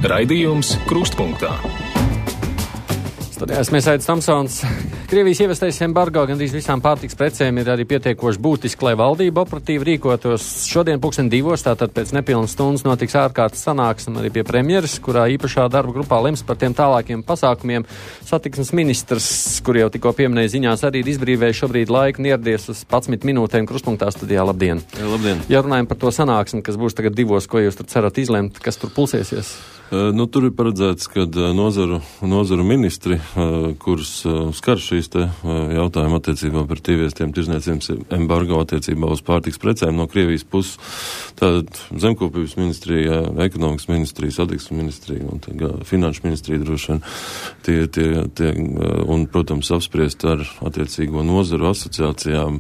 Raidījums Krustpunktā. Studijās mēs Aidis Tomsons. Krievijas ievestais embargo gandrīz visām pārtiks precēm ir arī pietiekoši būtiski, lai valdība operatīvi rīkotos. Šodien 2:00, tātad pēc nepilnas stundas, notiks ārkārtas sanāksme arī pie premjeras, kurā īpašā darba grupā lems par tiem tālākiem pasākumiem. Satiksmes ministrs, kur jau tikko pieminēja ziņās, arī ir izbrīvējis šobrīd laiku un ieradies uz 11 minūtēm Krustpunktā studijā. Labdien! Labdien! Ja runājam par to sanāksmi, kas būs tagad 2:00, ko jūs tur cerat izlemt, kas tur pulsēsies? Tur ir paredzēts, ka nozaru ministri, kurus skar šīs te jautājumi attiecībā par tīviestiem tirzniecības embargo attiecībā uz pārtiks precēm no Krievijas puses, tātad zemkopības ministrija, ekonomikas ministrija, satiksmes ministrija un finanšu ministrija droši vien un, protams, apspriest ar attiecīgo nozaru asociācijām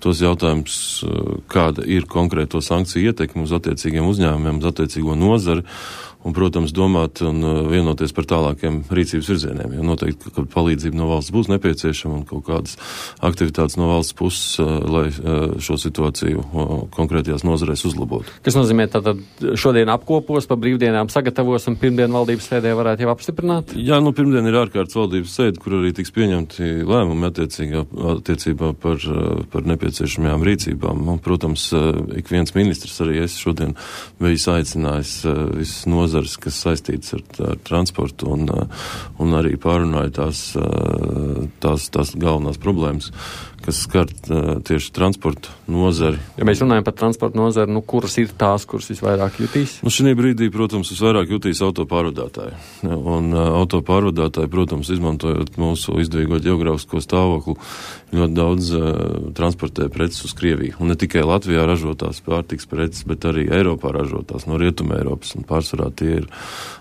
tos jautājumus, kāda ir konkrēto sankciju ietekme uz attiecīgiem uzņēmumiem, uz attiecīgo nozari. Un, protams, domāt un vienoties par tālākiem rīcības virzieniem, jo noteikti, ka palīdzība no valsts būs nepieciešama un kaut kādas aktivitātes no valsts puses, lai šo situāciju konkrētajās nozarēs uzlabotu. Kas nozīmē, tātad šodien apkopos, pa brīvdienām sagatavos un pirmdien valdības sēdē varētu jau apstiprināt? Jā, pirmdien ir ārkārtas valdības sēde, kur arī tiks pieņemti lēmumi attiecībā par nepieciešamajām rīcībām. Un, protams, ik viens ministrs, arī es šodien bijis aicinājis visas nozares, kas saistītas ar transportu un arī pārunāja tās galvenās problēmas, kas skar tieši transporta nozari. Ja mēs runājam par transporta nozari, kuras ir tās, kuras visvairāk jutīs? Šī brīdī, protams, visvairāk jutīs autopārvadātāji. Un autopārvadātāji, protams, izmantojot mūsu izdevīgo ģeogrāfisko stāvokli, ļoti daudz transportē preces uz Krieviju. Un ne tikai Latvijā ražotās pārtiks preces, bet arī Eiropā ražotās no Rietuma Eiropas. Un pārsvarā tiek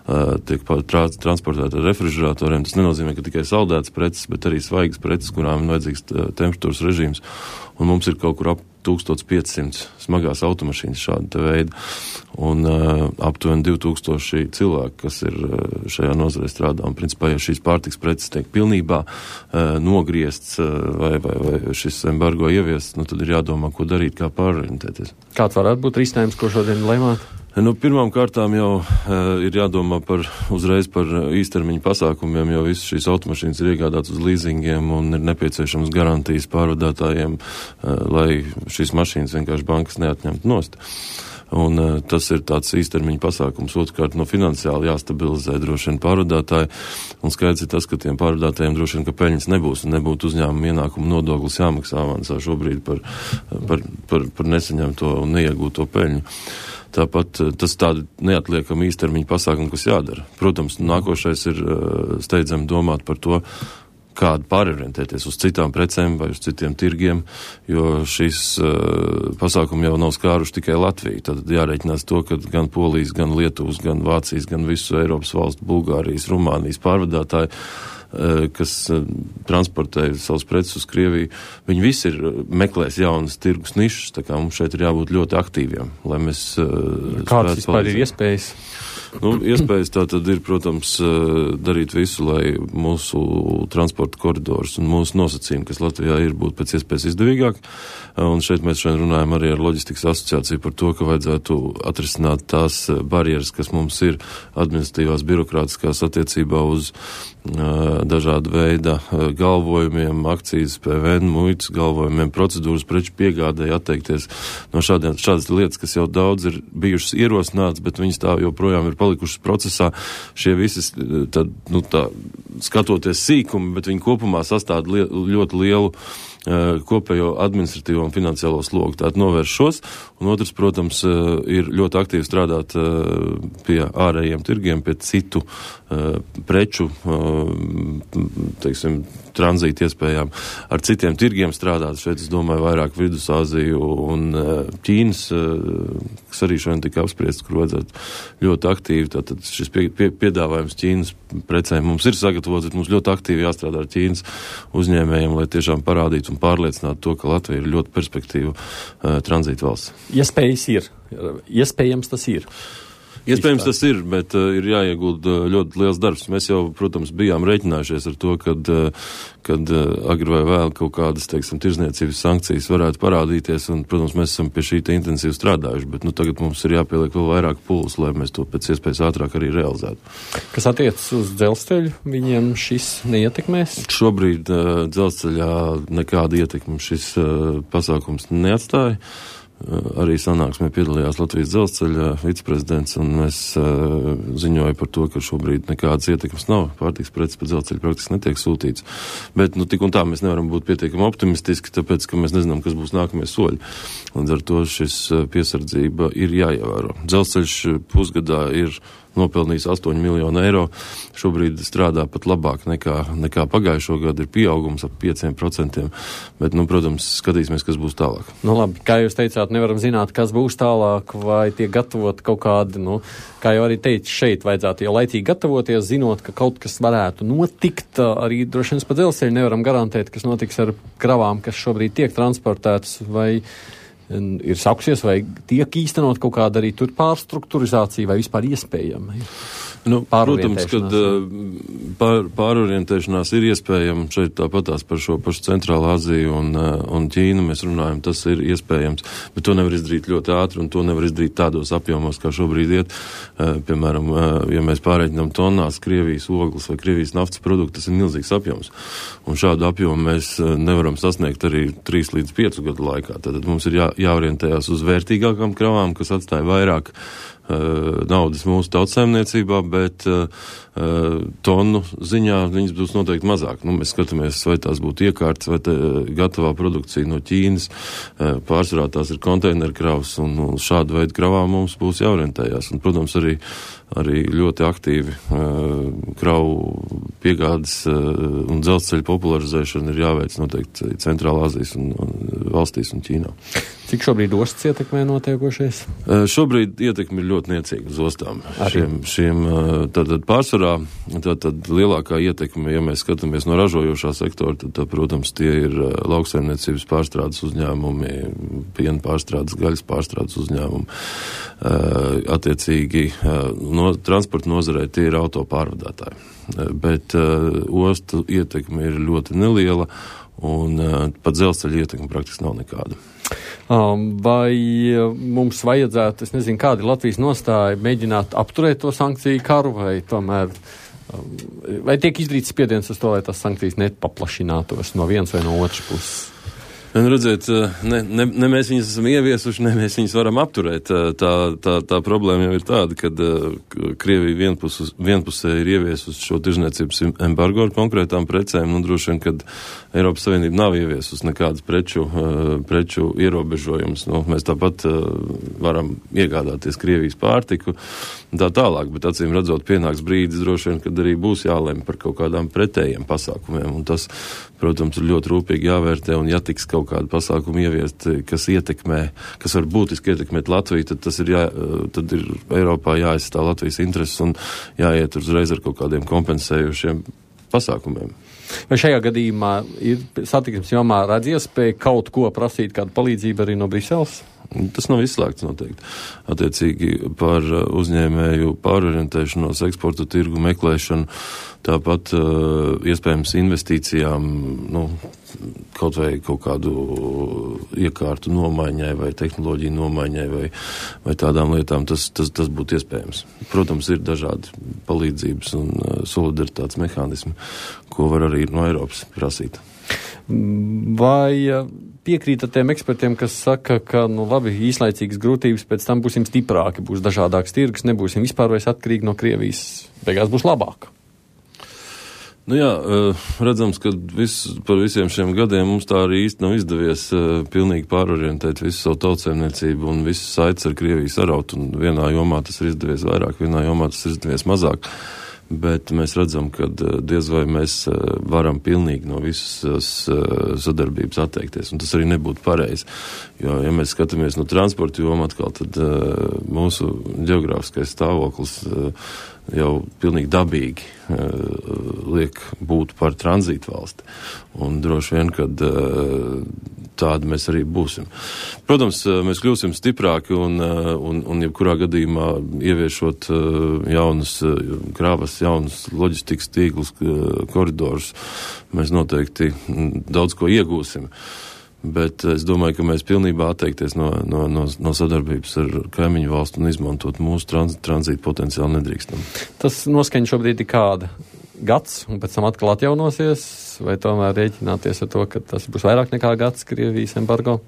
transportēti ar refrižeratoriem. Tas nenozīmē, ka tikai saldētas preces, bet arī svaigas preces, kurām ir vajadzīgs temperatūras režīms. Un mums ir kaut kur ap 1500 smagās automašīnas šāda te veida. Un aptuveni 2000 cilvēki, kas ir šajā nozarē strādā. Un principā, ja šīs pārtiks preces tiek pilnībā nogriezts vai šis embargo ieviests, tad ir jādomā, ko darīt, kā pārorientēties. Kāds varētu būt risinājums, ko šodien lemāt? Pirmām kārtām jau ir jādomā uzreiz par īstermiņa pasākumiem, jo visas šīs automašīnas ir iegādātas uz līzingiem un ir nepieciešams garantijas pārvadātājiem, lai šīs mašīnas vienkārši bankas neatņemtu nost. Un tas ir tāds īstermiņa pasākums. Otrkārt, finansiāli jāstabilizē droši vien pārvadātāji, un skaidrs ir tas, ka tiem pārvadātājiem droši vien, ka peļņas nebūs un nebūtu uzņēmuma ienākuma nodoklis jāmaksā avansā šobrīd par nesaņemto un neiegūto peļņu. Tāpat tas tādi neatliekami īstermiņa pasākumi, kas jādara. Protams, nākošais ir steidzami domāt par to, kādu pārorientēties uz citām precēm vai uz citiem tirgiem, jo šīs pasākumi jau nav skāruši tikai Latviju. Tad jārēķinās to, ka gan Polijas, gan Lietuvas, gan Vācijas, gan visu Eiropas valstu, Bulgārijas, Rumānijas pārvadātāji, kas transportē savus preces uz Krieviju, viņi visi meklēs jaunas tirgus nišas, tā kā mums šeit ir jābūt ļoti aktīviem, lai mēs kādas vispār ir iespējas? Iespējas tā tad ir, protams, darīt visu, lai mūsu transporta koridors un mūsu nosacījumi, kas Latvijā ir, būtu pēc iespējas izdevīgāk. Un šeit mēs šodien runājam arī ar loģistikas asociāciju par to, ka vajadzētu atrisināt tās barjeras, kas mums ir administratīvās birokrātiskās attiecībā uz dažāda veida galvojumiem, akcijas, PVN, muitas galvojumiem, procedūras preču piegādēji atteikties no šādas lietas, kas jau daudz ir bijušas ierosināts, bet viņas tā joprojām ir palikušas procesā. Šie visi, skatoties sīkumi, bet viņi kopumā sastāda ļoti lielu kopējo administratīvo un finansiālo slogu. Tātad novērš šos, un otrs, protams, ir ļoti aktīvi strādāt pie ārējiem tirgiem, pie citu preču, tranzīta iespējām, ar citiem tirgiem strādāt. Šeit, es domāju, vairāk Vidusāziju un Ķīnas, kas arī šodien tika apspriests, kur vajadzētu ļoti aktīvi. Tātad šis piedāvājums Ķīnas precēm mums ir sagatavots, bet mums ļoti aktīvi jāstrādā ar Ķīnas uzņēmējiem, lai tiešām parādītu un pārliecinātu to, ka Latvija ir ļoti perspektīva tranzīta valsts. Iespējas ir. Iespējams tas ir. Iespējams tas ir, bet ir jāiegulda ļoti liels darbs. Mēs jau, protams, bijām rēķinājušies ar to, kad agri vai vēl kaut kādas, teiksim, tirzniecības sankcijas varētu parādīties, un, protams, mēs esam pie šī intensīvi strādājuši, bet tagad mums ir jāpieliek vēl vairāk pūles, lai mēs to pēc iespējas ātrāk arī realizētu. Kas attiecas uz dzelzceļu, viņiem šis neietekmēs? Šobrīd dzelzceļā nekāda ietekme šis pasākums neatstāja. Arī sanāksmē piedalījās Latvijas dzelzceļa viceprezidents, un es ziņoju par to, ka šobrīd nekādas ietekmes nav. Pārtiks preces pa dzelzceļu praktiski netiek sūtīts. Bet, tik un tā mēs nevaram būt pietiekami optimistiski, tāpēc, ka mēs nezinām, kas būs nākamie soļi. Līdz ar to šis piesardzība ir jāievēro. Dzelzceļš pusgadā ir nopelnījis 8 miljonu eiro. Šobrīd strādā pat labāk nekā pagājušo gadu, ir pieaugums ap 5%, bet, protams, skatīsimies, kas būs tālāk. Labi, kā jūs teicāt, nevaram zināt, kas būs tālāk, vai tiek gatavot kaut kādi, kā jau arī teicu, šeit vajadzētu jau laicīgi gatavoties, zinot, ka kaut kas varētu notikt, arī droši vien pa dzelzceļu nevaram garantēt, kas notiks ar kravām, kas šobrīd tiek transportētas, vai ir sākusies, vai tiek īstenot kaut kāda arī tur pārstrukturizācija, vai vispār iespējama? Protams, kad pārorientēšanās ir iespējama, šeit tāpatās par šo pašu Centrālu Aziju un Ķīnu mēs runājam, tas ir iespējams, bet to nevar izdarīt ļoti ātri un to nevar izdarīt tādos apjomos, kā šobrīd iet. Piemēram, ja mēs pārreikinām tonnās Krievijas ogles vai Krievijas naftas produktu, tas ir milzīgs apjoms. Un šādu apjomu mēs nevaram sasniegt arī 3 līdz 5 gadu laikā. Tad mums ir jāorientējās uz vērtīgākām kravām, kas atstāja vairāk naudas mūsu tautsaimniecībā, bet tonu ziņā viņas būs noteikti mazāk. Mēs skatāmies, vai tās būtu iekārtas, vai gatavā produkcija no Ķīnas. Pārsvarā tās ir konteinerkravas, un šādu veidu kravām mums būs jāorientējās. Un, protams, arī ļoti aktīvi kravu piegādes un dzelzceļa popularizēšana ir jāveic noteikti Centrālā Azijas un valstīs un Ķīnā. Cik šobrīd ostas ietekmē notiekošies? Šobrīd ietekme ir ļoti niecīga uz ostām. Tātad pārsvarā, tātad lielākā ietekme, ja mēs skatāmies no ražojošā sektora, tad, protams, tie ir lauksaimniecības pārstrādes uzņēmumi, piena pārstrādes, gaļas pārstrādes uzņēmumi. Attiecīgi, transporta nozarē tie ir auto pārvadātāji. Bet ostu ietekme ir ļoti neliela, un pat dzelzceļa ietekme praktiski nav nekāda. Vai mums vajadzētu, es nezinu, kāda ir Latvijas nostāja, mēģināt apturēt to sankciju karu, vai tomēr, vai tiek izdarīts spiediens uz to, lai tās sankcijas nepaplašinātos no vienas vai no otras puses? Redziet, ne mēs viņas esam ieviesuši, ne mēs viņas varam apturēt. Tā problēma jau ir tāda, kad Krievija vienpusē ir ieviesusi šo tirzniecības embargo ar konkrētām precēm, droši vien, kad Eiropas Savienība nav ieviesusi nekādas preču ierobežojumus. Mēs tāpat varam iegādāties Krievijas pārtiku un tā tālāk, bet acīm redzot pienāks brīdis droši vien, kad arī būs jālem par kaut kādām pretējiem pasākumiem, un tas, protams, ir ļoti rūpīgi jāvērtē, un ja tiks kaut kādu pasākumu ieviest, kas var būtiski ietekmēt Latviju, tad ir Eiropā jāaizstāv Latvijas intereses un jāiet uzreiz ar kaut kādiem kompensējušiem pasākumiem. Vai šajā gadījumā ir satiksmes jomā redz iespēja kaut ko prasīt, kādu palīdzību arī no Briseles? Tas nav izslēgts noteikti. Attiecīgi par uzņēmēju pārorientēšanos, eksporta tirgu meklēšanu, tāpat iespējams investīcijām, kaut vai kaut kādu iekārtu nomaiņai vai tehnoloģiju nomaiņai vai tādām lietām, tas būtu iespējams. Protams, ir dažādi palīdzības un solidaritātes mehānismi, ko var arī no Eiropas prasīt. Vai piekrītat tiem ekspertiem, kas saka, ka, labi, īslaicīgas grūtības, pēc tam būsim stiprāki, būs dažādāks tirgus, nebūsim vispār vairs atkarīgi no Krievijas, beigās būs labāk? Redzams, ka par visiem šiem gadiem mums tā arī īsti nav izdevies pilnīgi pārorientēt visu savu tautsaimniecību un visas saites ar Krieviju saraut, un vienā jomā tas ir izdevies vairāk, vienā jomā tas ir izdevies mazāk. Bet mēs redzam, ka diez vai mēs varam pilnīgi no visas sadarbības atteikties, un tas arī nebūtu pareizi. Jo, ja mēs skatāmies no transporta joma atkal, tad mūsu ģeogrāfiskais stāvoklis jau pilnīgi dabīgi liek būt par tranzītu valsti. Un droši vien, kad tādi mēs arī būsim. Protams, mēs kļūsim stiprāki un jebkurā gadījumā ieviešot jaunas krāvas, jaunas loģistikas tīklus, koridorus, mēs noteikti daudz ko iegūsim. Bet es domāju, ka mēs pilnībā atteikties no sadarbības ar kaimiņu valstu un izmantot mūsu tranzītu potenciāli nedrīkstam. Tas noskaņa šobrīd ir kāda? Gads, un pēc tam atkal atjaunosies, vai tomēr rēķināties ar to, ka tas būs vairāk nekā gads Krievijas embargo?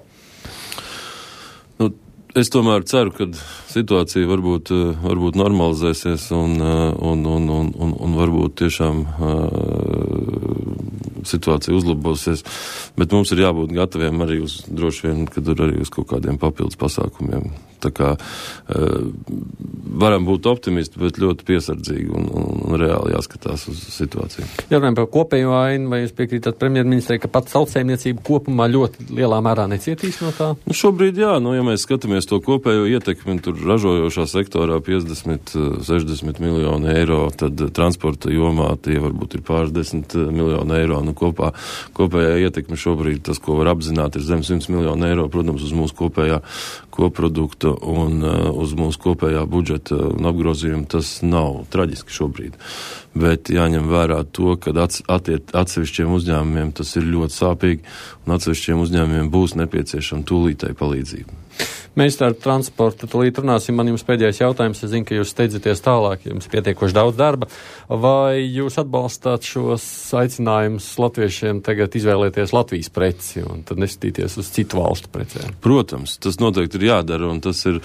Es tomēr ceru, ka situācija varbūt normalizēsies un varbūt tiešām situācija uzlabosies, bet mums ir jābūt gataviem arī droši vien, kad arī uz kaut kādiem papildus pasākumiem. Tā kā varam būt optimisti, bet ļoti piesardzīgi un reāli jāskatās uz situāciju. Ja runājam par kopējo ainu, vai jūs piekrītat premjerministrei, ka pat tautsēmniecība kopumā ļoti lielā mērā necietīs no tā? Šobrīd jā, ja mēs skatāmies to kopējo ietekmi, tur ražojošā sektorā 50-60 miljonu eiro, tad transporta jomā tie varbūt ir pāris 10 miljonu eiro. Kopējā ietekme šobrīd, tas, ko var apzināt, ir zem 100 miljonu eiro, protams, uz mūsu kopējā koprodukta un uz mūsu kopējā budžeta un apgrozījuma. Tas nav traģiski šobrīd. Bet jāņem vērā to, ka atsevišķiem uzņēmumiem tas ir ļoti sāpīgi un atsevišķiem uzņēmumiem būs nepieciešama tūlītēji palīdzība. Mēs ar transportu tūlīt runāsim. Man jums pēdējais jautājums. Es zinu, ka jūs steidzaties tālāk, jums pietiekoši daudz darba. Vai jūs atbalstāt šos aicinājumus latviešiem tagad izvēlēties Latvijas preci un tad neskatīties uz citu valstu precēm? Protams, tas noteikti ir jādara un tas ir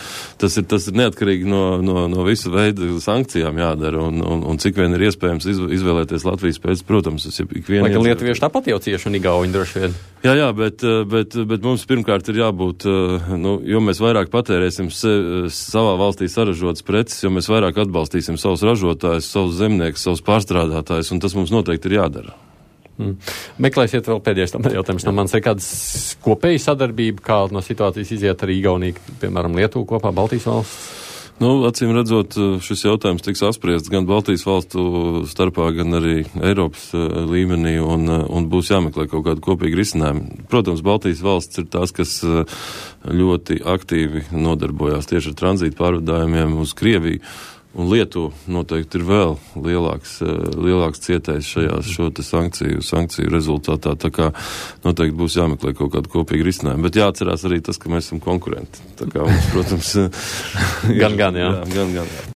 neatkarīgi no visa veida sankcijām jādara un cik vien ir iespējams izvēlēties Latvijas preci. Protams, tas ir ikviena. Lai gan lietuvieši tāpat jau cieši un igauņi droši vien. Jā, bet mums pirmkārt ir jābūt, jo mēs vairāk patērēsim savā valstī saražotas preces, jo mēs vairāk atbalstīsim savus ražotājus, savus zemniekus, savus pārstrādātājus, un tas mums noteikti ir jādara. Meklēsiet vēl pēdējais tam jautājums no manis. Ir kādas kopēja sadarbība, kā no situācijas iziet arī Igaunija, piemēram, Lietuva kopā, Baltijas valsts? Acīm redzot, šis jautājums tiks apspriests gan Baltijas valstu starpā, gan arī Eiropas līmenī un būs jāmeklē kaut kādu kopīgu risinājumu. Protams, Baltijas valsts ir tās, kas ļoti aktīvi nodarbojās tieši ar tranzītu pārvadājumiem uz Krieviju. Un Lietuva noteikti ir vēl lielāks cietējs šo sankciju rezultātā, tā kā noteikti būs jāmeklē kaut kādu kopīgu risinājumu. Bet jāatcerās arī tas, ka mēs esam konkurenti. Tā kā mums, protams, gan, jā. Gan.